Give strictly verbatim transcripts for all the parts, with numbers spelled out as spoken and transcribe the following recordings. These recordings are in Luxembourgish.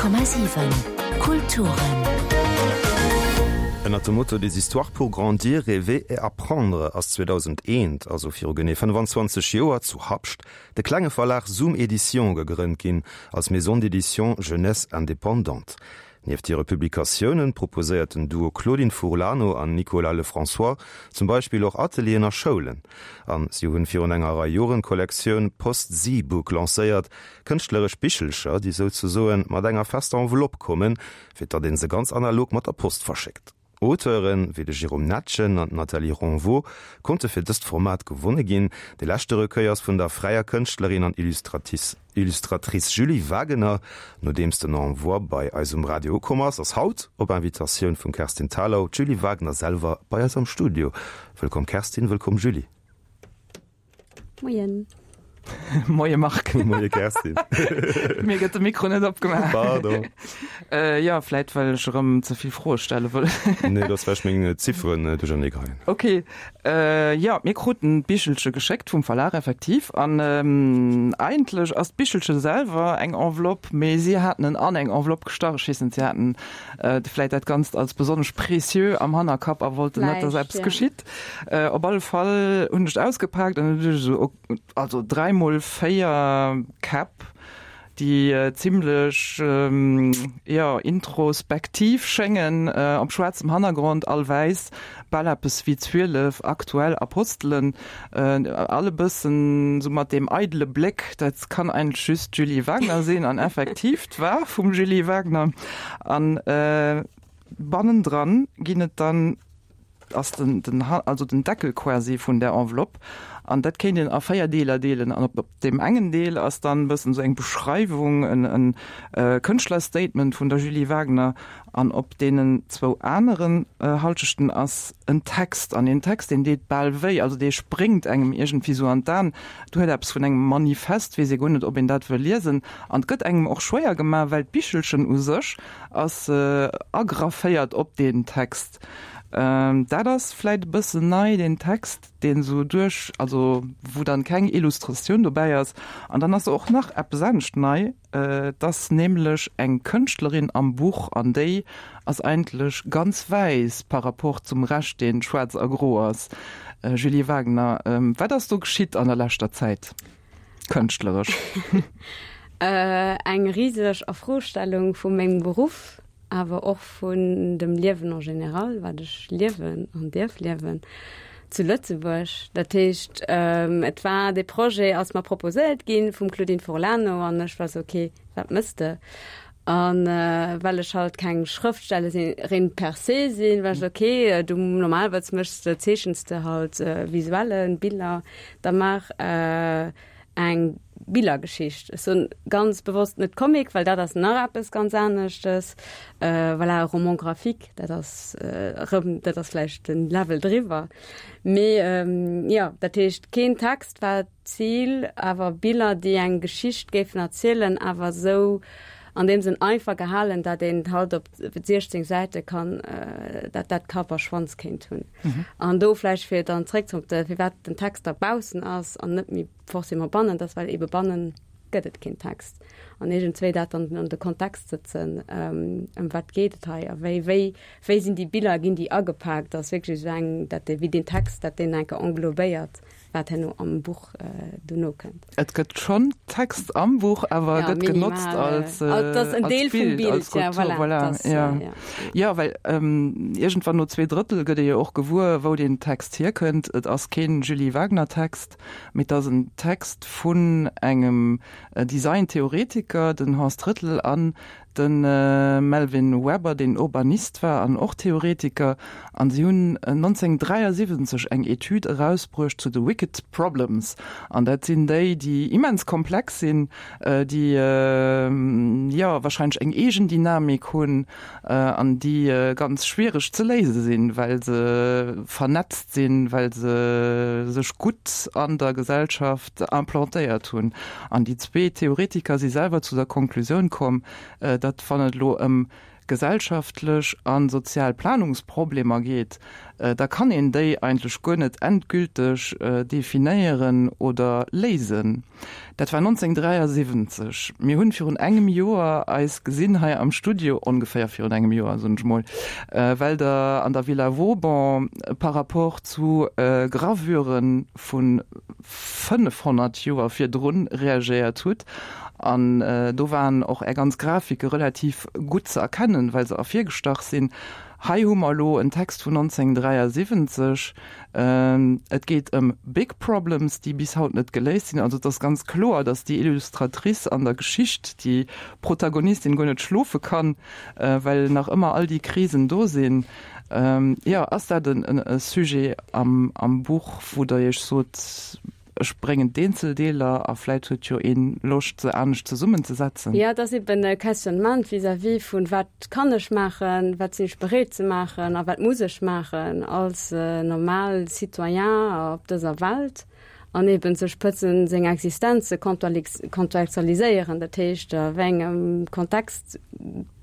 Honnert Komma siwen Kulturen. Ënnert dem Motto Des histoires pour grandir, rêver et apprendre ass zweedausendeent, also viru genee fënnefanzwanzeg Joer, zu Habscht de klenge Verlag Zoom Éditions gegrënnt ginn, als Maison d'édition jeunesse indépendante. Nieft hire Publikatiounen proposéiert den Duo Claudine Furlano an Nicolas Lefrançois zum Beispill och Atelieren a Schoulen. An si hunn virun enger Rei Joren d'Kollektioun Post-Z-Book lancéiert, kënschtleresch Bichelcher, déi souzesoen mat enger fester Enveloppe kommen, fir datt een se ganz analog mat der Post verschéckt. Auteuren wéi de Jérôme Netgen an d'Nathalie Ronvaux konnte fir dëst Format gewonne ginn. De leschte Recueil ass vun der fräier Kënschtlerin an Illustratrice Julie Wagener. Nodeems den Envoi bei eis um Radio ukomm ass, ass haut op Invitatioun vum Kerstin Thalau d'Julie Wagener selwer bei eis am Studio. Wëllkomm Kerstin, wëllkomm Julie. Moien. Moie Marc. Moie Kerstin. Mir gëtt de Mikro net opgemaach. Pardon. Äh, ja, vläit well ech erëm ze vill Froe stelle wëll. Nee, dat ass well ech meng Zifferen duerchernee geheien. Okay. Äh, ja, mir kruten d'Bichelche geschéckt vum Verlag effektiv an ähm, eigentlech ass d'Bichelche selwer eng Enveloppe, mee si haten en an eng Enveloppe gestach. Ech weess net, si haten äh, vläit dat Ganzt als besonnesch précieux am Hannerkapp a wollten net, dass Vläicht, eppes ja. geschitt. Äh, op alle Fall hunn ech et ausgepaakt an hunn ech esou, also dräi mol véier Käpp, déi zimlech jo introspektiv schéngen, op schwaarzem Hannergrond, all wäiss, bal eppes wéi zwielef aktuell Apostelen, all e bëssen sou mat deem eidele Bléck, dat kann eigentlech just d'Julie Wagner sinn, an effektiv, 't war vum Julie Wagner. An bannendran ginn et dann ass den, den, also den Deckel quasi vun der Enveloppe an dat kéint een a véier Deeler deelen an op deem engen Deel ass dann e bëssen esou eng Beschreiwung, en, en Kënschtlerstatement vun der Julie Wagener an op deenen zwou aneren Halschechten ass en Text an deen Text, deen deet bal wéi, also dee spréngt engem iergendwéi esou an d'An, et huet eppes vun engem Manifest, weess ee guer net, ob een dat wëll liesen an et gëtt engem och schwéier gemaach, well d'Bichelchen u sech ass agrafféiert op deen Text. Dat ass vläit e bëssen nei, deen Text, deen esou duerch, also wou dann keng Illustratioun dobäi ass. An dann ass och nach eppes anescht nei, et ass nämlech eng Kënschtlerin am Buch an déi ass eigentlech ganz wäiss par rapport zum Rescht, deen schwaarz a gro ass. Julie Wagener, wat ass do geschitt an der leschter Zäit, kënschtleresch? Eng riseg Afrostellung vu mengem Beruff. awer och vun dem Liewen en général, wat ech liewen an dierf liewen zu Lëtzebuerg. Dat heescht, et war dee Projet ass mer proposéiert gi vum Claudine Forlano an ech war sou, ok, wat mëss de? An well ech halt keng Schrëftstellerin per se sinn, war ech sou, ok, du normalerweis méchs de, zeechens de halt Visuellen, Biller, da maach eng Billergeschicht. Ech soen ganz bewosst net Comic, well dat ass nach eppes ganz aneschtes. Voilà, e Roman graphique, dat ass erëm, dat ass vläicht den Level driwwer. Mee jo, dat heescht, keen Text war d'Zil, awer Biller, déi eng Geschicht géifen erzielen, awer esou an deem Sënn einfach gehalen, dat een halt op siechzéng Säite kann, dat dat Kapp a Schwanz kéint hunn. An do vläicht fir dann zréck op de, firwat den Text da baussen ass an net méi forcément bannen, dat ass well eebe bannen gëtt et keen Text. An iergendzwéi dat dann an de Kontext sëtzen, ëm wat geet et hei a wéi, wéi, wéi sinn déi Biller, ginn déi agepaakt, ass wierklech esou eng, dat dee, wéi deen Text, dat deen enke englobéiert. Wat herno am Buch dono kënnt. Et gëtt schonn Text am Buch, awer e gëtt genotzt als Bild, als Skulptur, voilà. Jo, well iergendwann no zwee Drëttel gëtt ee jo och gewuer, wou deen Text hierkënnt. Et ass keen Julie Wagener-Text, mee et ass en Text vun engem Design-Theoretiker, den Horst Rittel, an De Melvin Webber, deen Urbanist war an och Theoretiker, an si hunn nonzénhunnertdräiasiwwenzeg eng Etüd erausbruecht zu de Wicked Problems. An dat sinn déi, déi immens komplex sinn, déi, jo, wahrscheinlech eng eegen Dynamik hunn an déi ganz schwiereg ze léise sinn, well se vernetzt sinn, well se sech gutt an der Gesellschaft implantéiert hunn. An déi zwee Theoretiker si selwer zu der Konklusioun komm, datt wann et elo ëm gesellschaftlech a sozial Planungsproblemer geet, da kann een déi eigentlech guer net endgülteg definéieren oder léisen. Dat war nonzénghunnertdräiasiwwenzeg. Mir hunn virun engem Joer eis gesinn hei am Studio, ongeféier virun engem Joer, soen ech mol, well Der an der Villa Vauban par rapport zu Gravüren vu fënnefhonnert Joer virdrun reagéiert hutt. An do waren och Är ganz Grafike relativ gutt ze erkennen, well se ervirgestach sinn. Hei hu mer elo en Text vun nonzénghunnertdräiasiwwenzeg. Et geet ëm big problems, déi bis haut net geléist sinn. Also et ass ganz kloer, datt déi Illustratrice an der Geschicht, déi Protagonistin guer net schlofe kann, well nach ëmmer all déi Krisen do sinn. Jo, ass dat e Sujet am Buch, wou Der Iech sot, Ech bréngen d'Eenzeldeeler a vläit huet jo een Loscht se anescht zesummenzesetzen. Jo, et ass eben e Questionnement vis-à-vis vun, wat kann ech maachen, wat sinn ech bereet ze maachen a wat muss ech maachen als normal Citoyen op dëser Welt an eben sech pëtzen seng Existenz ze kontextualiséieren, dat heescht a wéi engem Kontext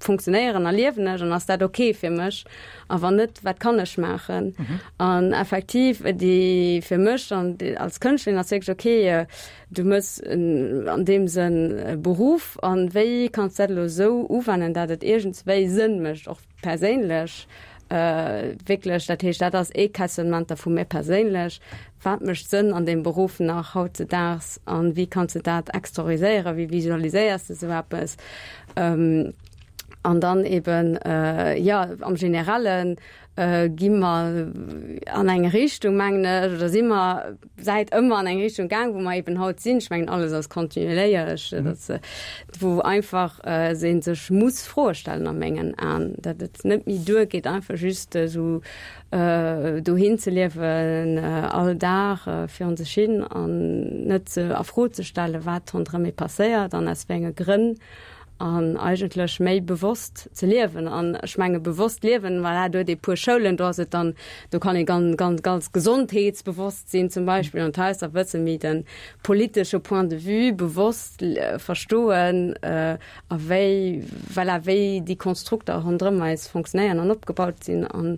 funktionéieren a liewen ech an ass dat ok fir mech a wann net, wat kann ech maachen? An effektiv déi fir mech an als Kënschtlerin ass wierklech ok, du mëss an deem Sënn e Beruff an wéi kanns dat elo esou uwennen, dat et iergendswéi Sënn mécht och perséinlech wierklech. Dat heescht, dat ass ee Questionnement da vu mir perséinlech, Wat mécht Sënn an deem Beruff nach hautzedaags an wéi kanns de dat exterioriséieren, wéi visualiséiers de esou eppes? An dann eben, jo, am Generelle gi mer an eng Richtung, mengen ech, oder si mer säit ëmmer an eng Richtung gaang, wou mer eben haut sinn. Ech mengen, alles ass kontinuéierlech, wou einfach ee sech muss Froe stellen a mengen Aen, datt et net méi duergeet, einfach just esou dohin ze liewen all Dag virun sech hin an net ze a Fro ze stellen, wat ronderëm ee passéiert an aus wéi enge Grënn an eigentlech méi bewosst ze liewen. An ech menge bewosst liewen, voilà, do huet ee puer Schoulen, do ass et dann, do kann ee ganz, ganz, ganz gesondheetsbewosst sinn zum Beispill an d'Haus da bësse méi de politesche Point de vue bewosst verstoen a wéi, voilà, wéi déi Konstrukter ronderëm eis fonctionnéieren an opgebaut sinn an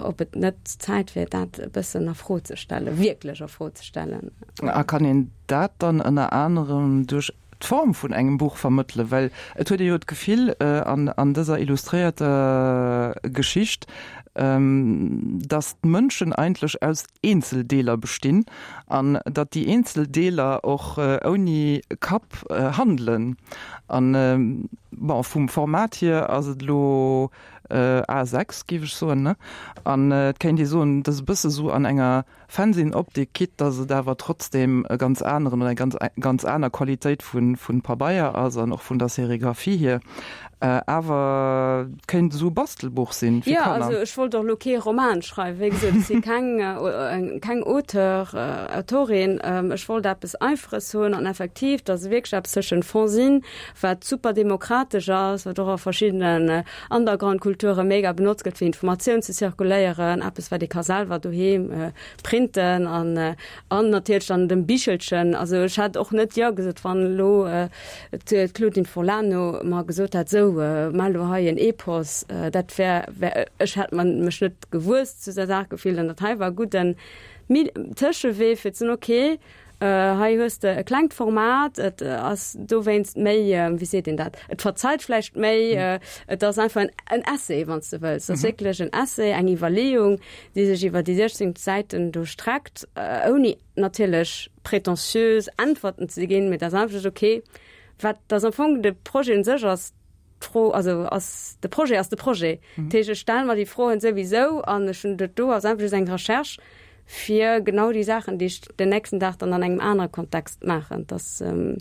ob et net Zäit wier, dat e bëssen a Fro ze stellen, wierklech a Fro ze stellen. A kann een dat dann ënner anerem duerch d'Form vun engem Buch vermëttelen, well et huet ee jo d'Gefill an an dëser illustréierter Geschicht, datt d'Mënschen eigentlech aus Eenzeldeeler bestinn an datt déi Eenzeldeeler och ouni Kapp handelen. An bon, vum Format hier ass et elo A sechs, géif ech soen, ne? An et kéint ee soen, et ass e bësse sou an enger Fanzine-Optik, quitte dass et awer trotzdem e ganz aneren oder eng ganz ganz aner Qualitéit vu vu Pabeier ass an och vun der Serigraphie hier. Awer et kéint esou e Bastelbuch sinn fir Jo, Kanner. also ech wollt och elo kee Roman schreiwen, wéi gesot, ech si keng keng Auteur, Autorin. Ech wollt eppes Einfaches hunn an effektiv, dass et wierklech eppes tëschent Fanzine, wat super demokratesch ass, wat och a verschiddenen Underground-Kulture mega benotzt gëtt fir Informatioun ze zirkuléieren, eppes wat ee ka selwer doheem printen an an natierlech dann dem Bichelchen. Also ech hätt och net Jo gesot, wann elo d'Claudine Forlano mer gesot hätt, sou maach elo hei en Epos. Dat wär, wär, ech hätt mer mech net gewuess zu der Saach gefillt an dat hei war e gudden Tëschewee fir ze soen, okay, Hei hues de e klengt Format, et ass dowéinst méi, wéi seet een dat, et verzeit vläicht méi, et ass einfach en Essay, wann s de wëlls. Et ass wierklech en Essay, eng Iwwerleeung, déi sech iwwer déi siechzéng Säiten do streckt, ouni natierlech pretentiös Äntwerten ze ginn, mee et ass einfach just, okay, wat ass am Fong de Projet un sech ass, d'Fro, also ass de Projet ass de Projet. Dat heescht, ech stelle mer déi Froen souwisou an ech hunn dat do ass einfach just eng Recherche, fir genau déi Saachen, déi ech den nächsten Dag dann an engem anere Kontext maachen. Dass, an,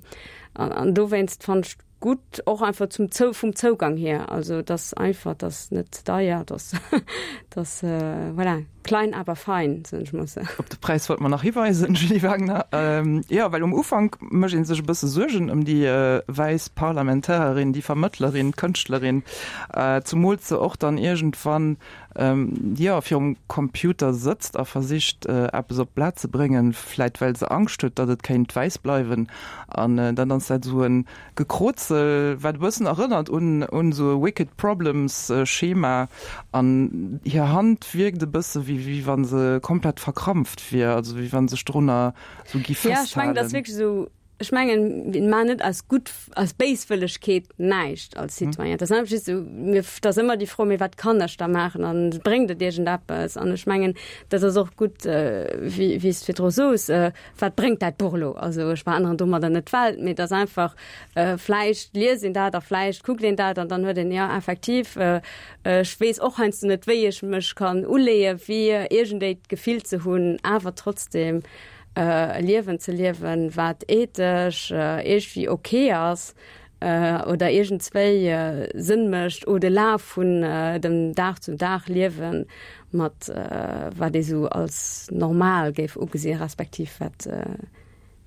an dowéinst fannen ech gutt, och einfach zum Zou, vum Zougang hier, also dass einfach, dass net ze deier, dass, dass, voilà, Klein aber fein, soen ech mol sou. Op de Präis wollt mer nach hiweisen, Julie Wagner. Jo, well um Ufank mécht ee sech e bësse Suergen ëm déi wäiss Parlamentarerin, déi Vermëttlerin, d'Kënschtlerin, zumools se och dann iergendwann, jo, virum Computer sëtzt a versicht, eppes op d'Blat ze bréngen, vläit well se Angscht huet, datt et kéint wäiss bleiwen. An dann ass dat esou e Gekrozel, wat e bëssen erënnert un un esou e Wicked Problems Schema. An hir Hand wierkt e bësse wéi wéi wa se komplett verkrampft wier, also wéi wa sech drunner esou gi Ja, ech mengen, dat ass festhalen. wierklech esou, ech mengen, mir maachen net aus gutt, aus Béiswëllegkeet näischt als Citoyen. Dat ass einfach just esou, mir, dat ass ëmmer déi Fro, mee wat kann ech da maachen an bréngt et iergendeppes? An ech mengen, dat ass och gutt, wéi wéi s de virdru sos, wat bréngt dat Buch elo? Also ech veränneren domadder net d'Welt, mee et ass einfach, vläicht liest een dat a vläicht kuckt een dat an dann huet een, jo effektiv, ech weess och heiansdo net, wéi ech mech kann uleeën, fir iergendéi d'Gefill ze hunn, awer trotzdem e Liewen ze liewen, wat ethesch iergendwéi ok ass oder iergendswéi Sënn mécht au-delà vun dem Dag-zu-Dag-Liewen, mat wat ee sou als normal géif ugesinn, respektiv wat,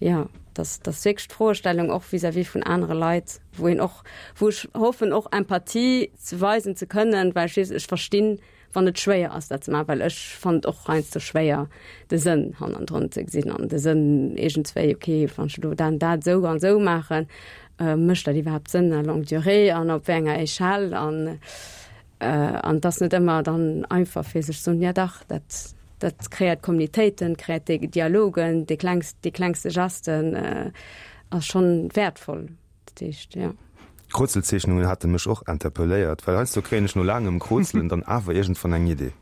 jo, dass dass wierklech d'Froestellung och vis-à-vis vun anere Leit, wou een och, wou ech hoffen och Empathie ze weisen ze kënnen, well ech weess, ech verstinn, wann et schwéier ass dat ze maachen, well ech fannen et och heiansdo schwéier de Sënn hannendrun ze gesinn an de Sënn iergendswéi, ok, wann ech elo dat an dat esou an esou maachen, mécht dat iwwerhaapt Sënn à longue durée an op wéi enger Échelle an an et ass net ëmmer dann einfach fir sech ze soen, ja dach, dat dat kreéiert Communautéiten, kreéiert déi Dialogen, déi klengst, déi klengste Gesten ass schonn wäertvoll. Dat heescht, jo. D'Krozelzeechnungen hate mech och interpelléiert, well heiansdo kréien ech no laangem Krozelen dann awer iergendwann eng Idee.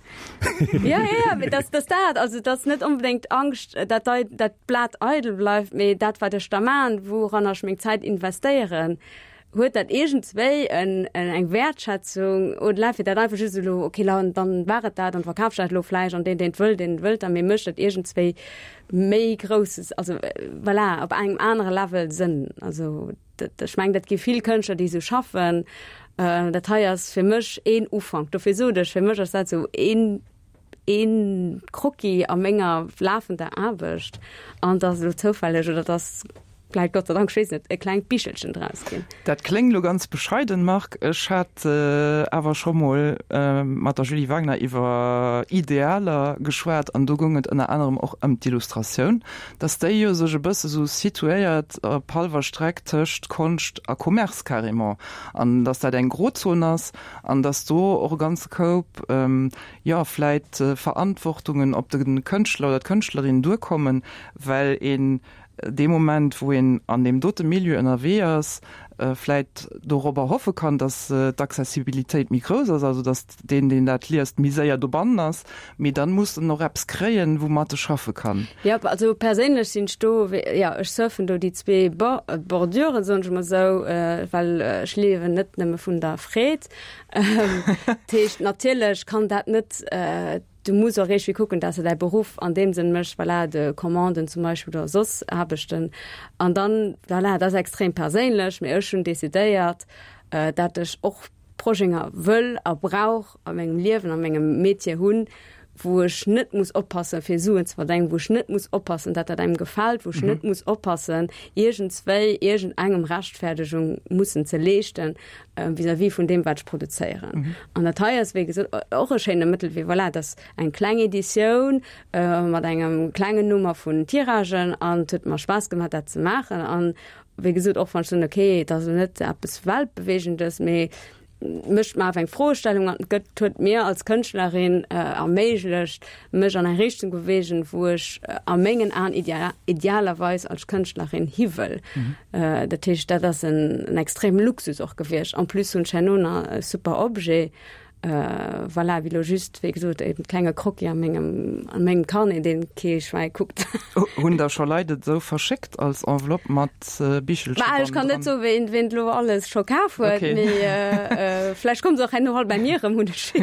Ja, ja, ja, mee dass, dass dat, also dass net onbedéngt Angscht, dat dei, dat d'Blat eidel bleift, mee dat wat ech da maan, wouranner ech meng Zäit investéieren, huet dat iergendswéi en, en eng Wäertschätzung au-delà fir dat einfach just elo, okay, la, dann war et dat an verkaf ech dat elo vläicht an deen, deen et wëll, deen wëllt da, mee mécht dat iergendswéi méi Grousses, also voilà, op engem anere Level Sënn, also. Ech mengen, dat gi vill Kënschtler, déi esou schaffen. Dat hei ass fir mech een Ufank. Dofir sot ech, fir mech ass dat esou een, een Croquis a menger lafender Aarbecht. An et ass elo zoufälleg oder et ass vläicht Gott sei Dank, ech weess net, e klengt Bichelchen draus ginn. Dat kléngt elo ganz bescheiden, Marc. Ech hat awer scho mol mat der Julie Wagner iwwer Idealer geschwat an do goung et ënner anerem och ëm d'Illustratioun, dass déi jo sech e bësse sou situéiert op hallwer Streck tëscht Konscht a Commerce carrément an dass dat eng Grozon ass an dass do och e ganze Koup, jo, vläit Verantwortungen op de Kënschtler oder d'Kënschtlerin duerkommen, well een dee Moment, wou een an deem dote Milieu ënnerwee ass, vläit dorobber hoffe kann, datt d'Accessibilitéit méi grouss ass, also datt deen, deen dat liest, méi séier dobannen ass, mee dann muss en och eppes kréien, woumat e schaffe kann. Jo, also perséinlech sinn ech do, jo, ech surfen do déi zwee Borduren, soen ech emol esou, well ech liewen net nëmme vun der Freed. Dat heescht, natierlech kann dat net Du muss och iergendwéi kucken, dass de däi Beruff an deem Sënn méchs, voilà, de Commanden zum Beispill oder soss Aarbechten. An dann, voilà, dat ass extrem perséinlech, mee ech hunn decidéiert, dat ech och Projeter wëll a brauch a mengem Liewen, a mengem Metier hunn, wou ech net muss oppassen, fir Suen ze verdéngen, wou ech net muss oppassen, dat dat engem gefält, wou ech net muss oppassen, iergendswéi iergendengem Rechtfertegung mussen ze leeschten vis-à-vis vun deem, wat ech produzéieren. An dat hei ass, wéi gesot, och e schéine Mëttelwee. Voilà, dat ass eng kleng Editioun mat engem klengen Nummer vun Tiragen an et huet mer Spaass gemaach, dat ze maachen. An wéi gesot, och wann ech soen, okay, et ass elo net eppes Weltbewegendes, mee mécht mer awer eng Froestellung an gëtt, huet mir als Kënschtlerin erméiglecht, mech an eng Richtung bewegen, wou ech a mengen Aen idealerweis als Kënschtlerin hi wëll. Dat heescht, dat ass en extreme Luxus och gewiescht. En plus hunn ech herno nach e super Objet, voilà, wéi elo just, wéi gesot, e klenge Croquis a mengem, a mengem Carnet, deen kee Schwäi kuckt. Hunn der scho Leit et esou verschéckt als Enveloppe mat Bichelche Bah, ech kann net bannendran? soen, ween, ween et elo alles scho kaf huet, Okay. mee vläicht komme se och herno all bei mir erëm, hunn ech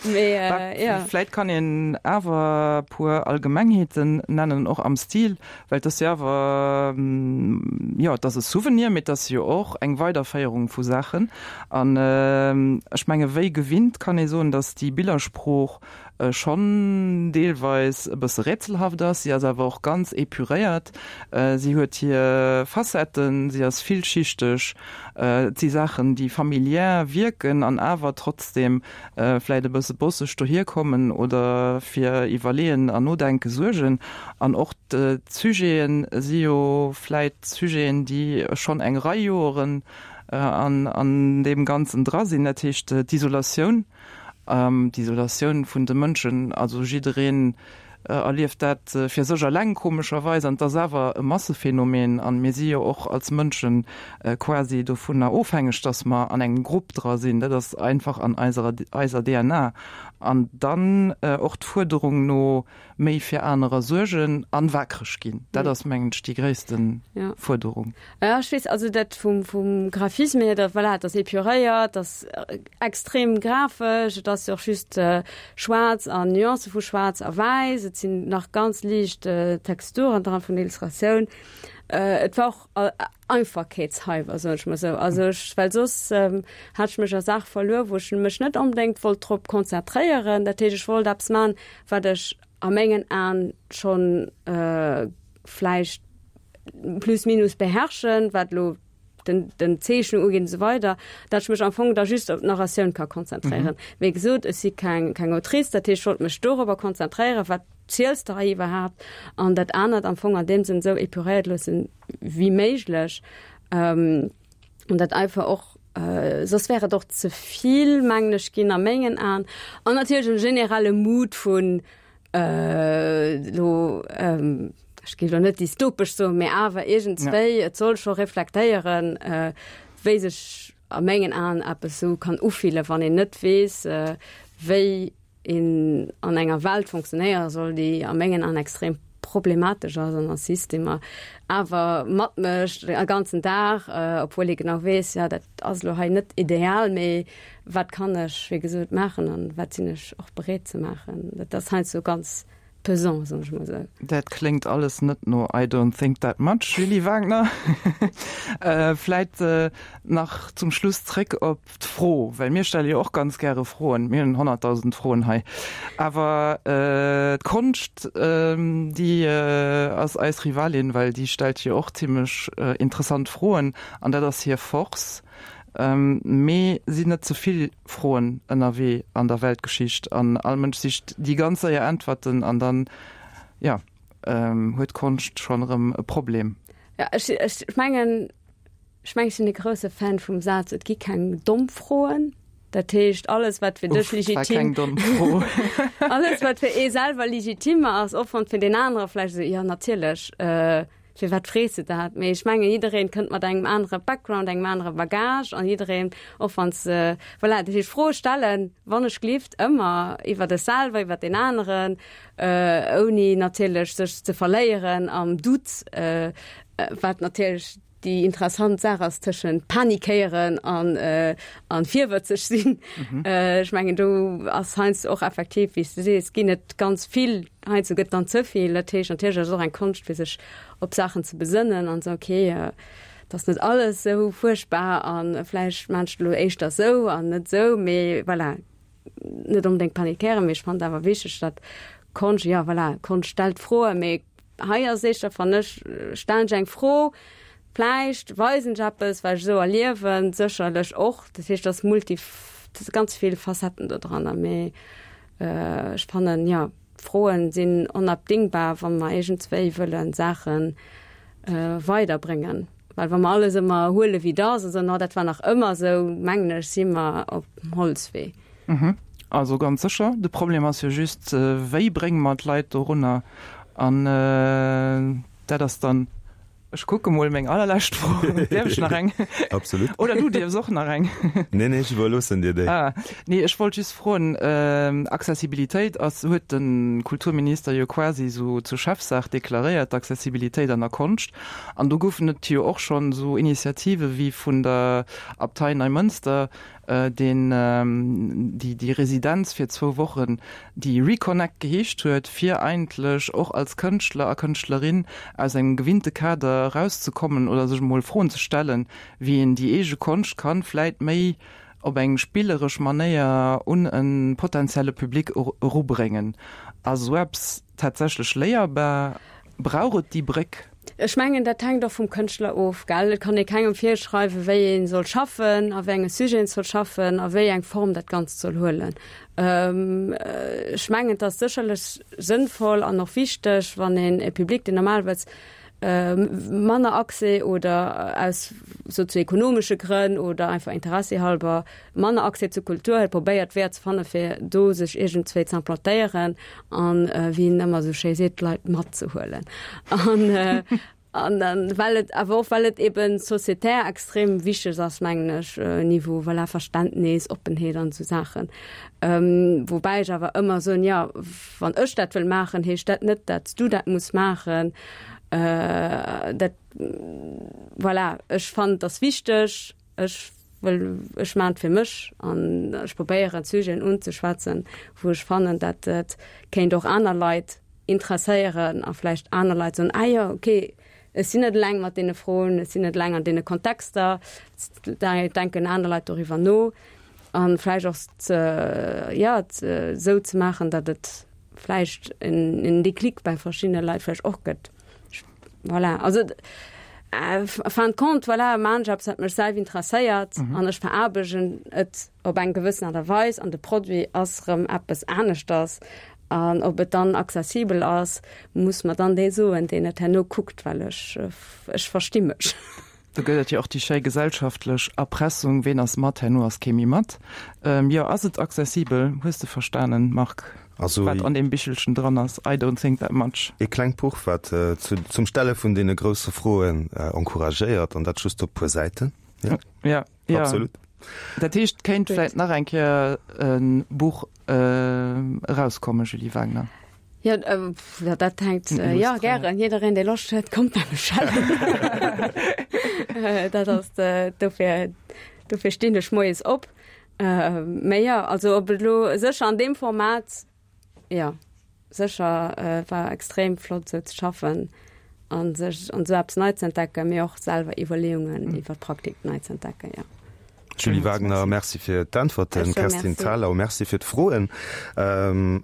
Mee Bah, jo. vläicht kann een awer e puer Allgemengheeten nennen, och am Stil, well et ass jo awer, jo, et ass e Souvenir, mee et ass jo och eng Weiderféierung vu Saachen. An ech menge wéi wéi gewinnt kann ee soen, dass déi Billersprooch schonn deelweis e bësse rätselhaft ass. Si ass awer och ganz epuréiert. Si huet hir Facetten, si ass villschichteg. Et si Saachen, déi familiär wierken an awer trotzdeem vläicht e bësse bosseg dohierkommen oder fir Iwwerleeën an Nodenke suergen. An och d'Sujete si jo vläicht Sujeten, déi schonn eng Rei Joren an deem Ganzen dra sinn, dat heescht d'Isolatioun, d'Isolatioun vun de Mënschen, also jiddereen erlieft dat fir sech eleng komescherweis, an et ass awer e Massephänomen an mir si jo och als Mënsche quasi dovunner ofhängeg, datt mer an engem Grupp dra sinn, dat ass einfach an eiser eiser D N A. An dann och d'Fuerderung no méi fir anerer suergen an wakereg ginn, dat ass mengen ech déi gréissten Fuerderung. Ja, ech weess, also dat vum, vum Graphisme hier, dat, voilà, dat ass epuréiert, dat ass extrem grafesch, et ass jo och just schwaarz an Nuancë vu schwaarz a wäiss, et sinn nach ganz liicht Texturen dran vun der Illustratioun. Et war och Einfachkeetshalber, soen ech mol esou. Also ech, well soss hat ech mech a Saach verluer, wou ech mech net onbedéngt wollt drop konzentréieren. Dat heescht, ech wollt eppes maachen, wat ech a mengen Aen schonn vläicht plus minus beherrschen, wat elo den, den Zeechnung ugeet und so weider, dat ech mech am Fong da just op d'Narratioun ka konzentréieren. Mhm. Wéi gesot, ech si keng, keng Autrice, dat heescht, ech wollt mech dorobber konzentréieren, wat ziels de hei iwwerhaapt, an dat anert am Fong an deem Sënn esou epuréiert loossen wéi méiglech. Ähm, an dat einfach och, äh, soss wär et och ze vill, mengen ech, ginn a mengen Aen. An natierlech en generelle Mood vun, äh, lo, ähm, ech géif lo net dystopesch soen, mee awer iergendswéi, ja. Et soll scho reflektéieren, äh, wéi sech a mengen Aen eppes sou kann ufillen, wann een net weess, äh, wéi een an enger Welt funktionéiere soll, déi a mengen Aen extrem problematesch ass an a Systemer awer matmécht e ganzen Dag, äh, obwuel ee genau weess, ja, dat ass lo hei net ideal, mee wat kann ech, wéi gesot, maachen an wat sinn ech och bereet ze maachen. Dat ass heiansdo ganz pesant, soen ech mol esou. Dat kléngt alles net no I don't think that much, Julie Wagner. Vläit nach zum Schluss zréck op d'Fro, well mir stelle jo och ganz gäre Froen, mir hunn honnertdausend Froen hei. Awer d'Konscht, déi ass eis Rivalin, well déi stellt jo och zimmlech interessant Froen an dat ass hir Force. Mee sinn net ze vill Froen ënnerwee an der Weltgeschicht an all Mënsch sicht déi ganz séier Äntwerten an dann, jo, huet d'Konscht schonn erëm e Problem. Jo, ech, ech mengen, ech mengen, ech sinn e grousse Fan vum Saz, et gi keng domm Froen. Dat heescht, alles wat fir dech Uff, war legitim, keng domm Fro. alles wat fir ee selwer legitim ass, och wann fir deen anere vläicht esou, jo natierlech, firwat frees de dat? Mee ech mengen, jiddereen kënnt mat engem anere Background, engem anere Bagage an jiddereen, och wann s, voilà, dat heescht, Froe stellen, wann ech gelift, ëmmer iwwer dech selwer, iwwer deen aneren, ouni natierlech sech ze verléieren am Doute, wat natierlech déi interessant Saach ass tëschent panikéieren an, an virwëtzeg sinn. Ech mengen, do ass heiansdo och effektiv, wéi s de sees, ginn et ganz vill, heiansdo gëtt dann ze vill. Dat heescht, natierlech ass et och eng Konscht, fir sech op Saachen ze besënnen an esou, okay, et ass net alles esou fuerchtbar a vläicht maan ech et elo éischter esou an net esou, mee voilà, net onbedéngt panikéieren, mee ech fannen et awer wichteg, datt Konscht, jo voilà, Konscht stellt Froen, mee hei ass éischter, fannen ech, stellen ech eng Fro, vläicht weisen ech eppes, wat ech esou erliewen, sécherlech och, dat heescht, et ass multi, et si ganz vill Facetten do dranner, mee ech fannen, jo, Froen sinn onabdingbar, wa mer iergendswéi wëlle Saache weiderbréngen. Well wa mer alles ëmmer huele wéi et ass a soen, oh dat war nach ëmmer esou, mengen ech, si mer op dem Holzwee. Mhm. Also ganz sécher. De Problem ass jo just, wéi brénge mer d'Leit dorunner? An dat ass dann, ech kucke mol, meng allerlescht Fro. Däerf ech nach eng? Absolut. Oder du dierfs och nach eng. Nee, nee, ech iwwerloossen dir déi. Ah, nee, ech wollt just froen, Accessibilitéit ass, huet de Kulturminister jo quasi esou zur Chefsaach deklaréiert, d'Accessibilitéit an der Konscht. An do goufen et jo och schonn esou Initiative wéi vun der Abtei Neimënster, deen déi déi Residenz fir zwou Wochen, déi Reconnect geheescht huet, fir eigentlech och als Kënschtler a Kënschtlerin aus engem gewinnte Kader erauszekommen oder sech emol Froen ze stellen, wéi een déi eege Konscht kann vläit méi op eng spilleresch Manéier un e potenzielle Public erubréngen. Ass sou eppes tatsächlech léierbar? Brauch et déi Bréck? Ech mengen, dat hänkt och vum Kënschtler of, gell? Et kann ee kengem virschreiwen, wéi ee soll schaffen, a wéi enge Sujeten soll schaffen a wéi eng Form dat Ganzt soll huelen. Ech mengen, et ass sécherlech sënnvoll an och wichteg, wann een e Public, deen normalerweis manner Accès oder aus sozioekonomesche Grënn oder einfach interessehalber manner Accès zu Kultur huet, probéiert Weeër ze fanne fir do sech iergendzwéi ze implantéieren an, wéi een ëmmer esou schéi seet, d'Leit matzehuelen. An an dann well et awer och well et eben sociétaire extrem wichteg ass, mengen ech, Niveau voilà Verständnis, Oppenheet an esou Saachen. Woubäi ech awer ëmmer soen, jo, wann ech dat wëll maachen, heescht dat net, dat s du dat muss maachen. Dat voilà, ech fannen, et ass wichteg, ech wëll, ech maachen et fir mech an ech probéieren Sujeten unzeschwätzen, wou ech fannen, dat et kéint och aner Leit interesséieren a vläicht aner Leit soen, ah jo, okay, ech sinn net eleng mat deene Froen, ech sinn net eleng an deene Kontexter, denken aner Leit doriwwer no a vläicht och ze, jo, esou ze maachen, datt et vläicht en Déclic bei verschiddene Leit vläicht och gëtt. Voilà, also fin de compte, voilà, maachen ech eppes, wat mech selwer interesséiert an ech veraarbechten et op eng gewëssen Aart a Weis an de Produit ass erëm eppes aneschters. An ob et dann accessibel ass, muss mer dann dee soen, deen et herno kuckt, well ech, ech versti mech. Do gëtt et jo och déi schéi gesellschaftlech Erpressung, Ween ass mat, herno ass kee méi mat. Jo, ass et accessibel? Hues de verstanen, Marc, Also, wat an deem Bichelchen dran ass? I don't think that much. E klengt Buch, wat zum Stelle vun deene grousse Froen encouragéiert, an dat just op puer Säiten. Ja, ja, ja. Absolut. Dat heescht, kéint vläit nach eng Kéier e Buch erauskommen, Julie Wagner? Jo, dat hänkt, jo, gären. Jiddereen, dee Loscht huet, kommt bei mech schellen. Dat ass, dofir, dofir stinn ech moies op. Mee jo, also ob et elo sécher an deem Format, jo, sécher, war extrem flott esou ze schaffen a sech an esou eppes nei ze entdecken, mee och selwer Iwwerleeungen iwwer d'Praktik nei ze entdecken, jo. Julie Wagner, merci fir d'Äntwerten. Kerstin Thalau, merci fir d'Froen. An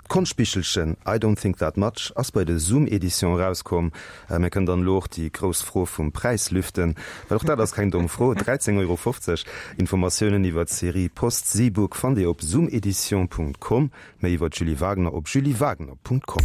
d'Konschtbichelchen I don't think that much ass bei de Zoom Editions erauskomm. Mir kënnen dann elo och déi grouss Fro vum Präis lüften, well och dat ass keng domm Fro, dräizéng Euro fofzeg. Informatiounen iwwer d'Serie Post-Seabook fannt Dir op zoomeditions Punkt com, méi iwwer d'Julie Wagner op juliewagner Punkt com.